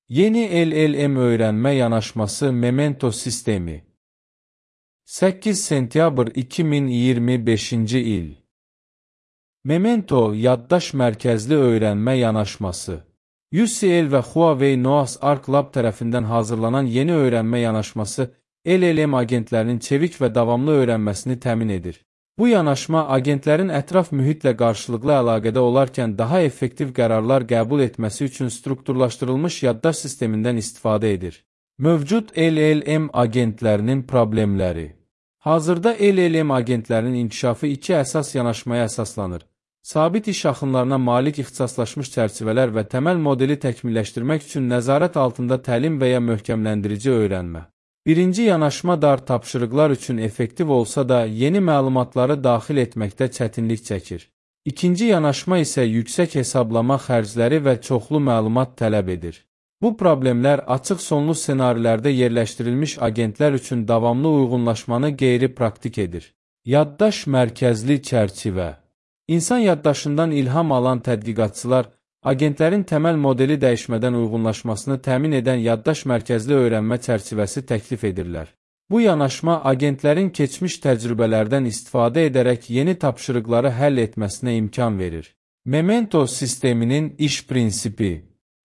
Yeni LLM öğrenme yanaşması Memento sistemi. 8 sentyabr 2025-ci il. Memento yaddaş mərkəzli öyrənmə yanaşması. UCL və Huawei Noah's Ark Lab tərəfindən hazırlanan yeni öyrənmə yanaşması LLM agentlərinin çevik və davamlı öyrənməsini təmin edir. Bu yanaşma agentlərin ətraf mühitlə qarşılıqlı əlaqədə olarkən daha effektiv qərarlar qəbul etməsi üçün strukturlaşdırılmış yaddaş sistemindən istifadə edir. Mövcud LLM agentlərinin problemləri. Hazırda LLM agentlərinin inkişafı iki əsas yanaşmaya əsaslanır. Sabit iş axınlarına malik ixtisaslaşmış çərçivələr və təməl modeli təkmilləşdirmək üçün nəzarət altında təlim və ya möhkəmləndirici öyrənmə. Birinci yanaşma dar tapşırıqlar üçün effektiv olsa da, yeni məlumatları daxil etməkdə çətinlik çəkir. İkinci yanaşma isə yüksək hesablama xərcləri və çoxlu məlumat tələb edir. Bu problemlər açıq sonlu ssenarilərdə yerləşdirilmiş agentlər üçün davamlı uyğunlaşmanı qeyri-praktik edir. Yaddaş mərkəzli çərçivə. İnsan yaddaşından ilham alan tədqiqatçılar, agentlərin təməl modeli dəyişmədən uyğunlaşmasını təmin edən yaddaş mərkəzli öyrənmə çərçivəsi təklif edirlər. Bu yanaşma agentlərin keçmiş təcrübələrdən istifadə edərək yeni tapşırıqları həll etməsinə imkan verir. Memento sisteminin iş prinsipi.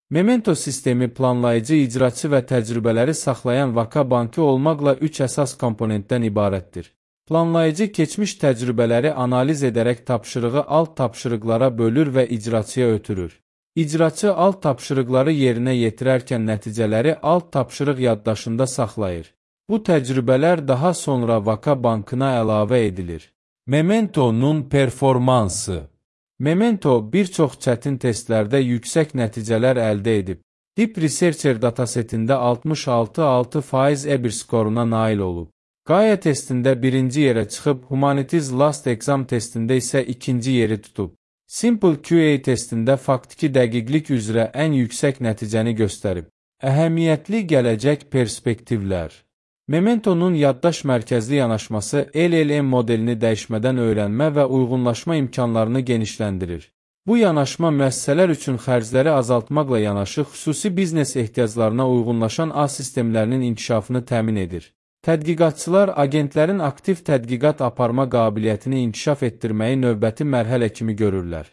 Memento sistemi planlayıcı, icraçı və təcrübələri saxlayan vaka bankı olmaqla üç əsas komponentdən ibarətdir. Planlayıcı keçmiş təcrübələri analiz edərək tapşırığı alt tapşırıqlara bölür və icraçıya ötürür. İcraçı alt tapşırıqları yerinə yetirərkən nəticələri alt tapşırıq yaddaşında saxlayır. Bu təcrübələr daha sonra vaka bankına əlavə edilir. Memento'nun performansı. Memento bir çox çətin testlərdə yüksək nəticələr əldə edib. Deep Researcher datasetində 66,6% EBIR skoruna nail olub. Gaia testində birinci yerə çıxıb, Humanities Last Exam testində isə ikinci yeri tutub. Simple QA testində faktiki dəqiqlik üzrə ən yüksək nəticəni göstərib. Əhəmiyyətli gələcək perspektivlər. Memento'nun yaddaş mərkəzli yanaşması LLM modelini dəyişmədən öyrənmə və uyğunlaşma imkanlarını genişləndirir. Bu yanaşma müəssisələr üçün xərcləri azaltmaqla yanaşı, xüsusi biznes ehtiyaclarına uyğunlaşan ağ sistemlərinin inkişafını təmin edir. Tədqiqatçılar agentlərin aktiv tədqiqat aparma qabiliyyətini inkişaf etdirməyi növbəti mərhələ kimi görürlər.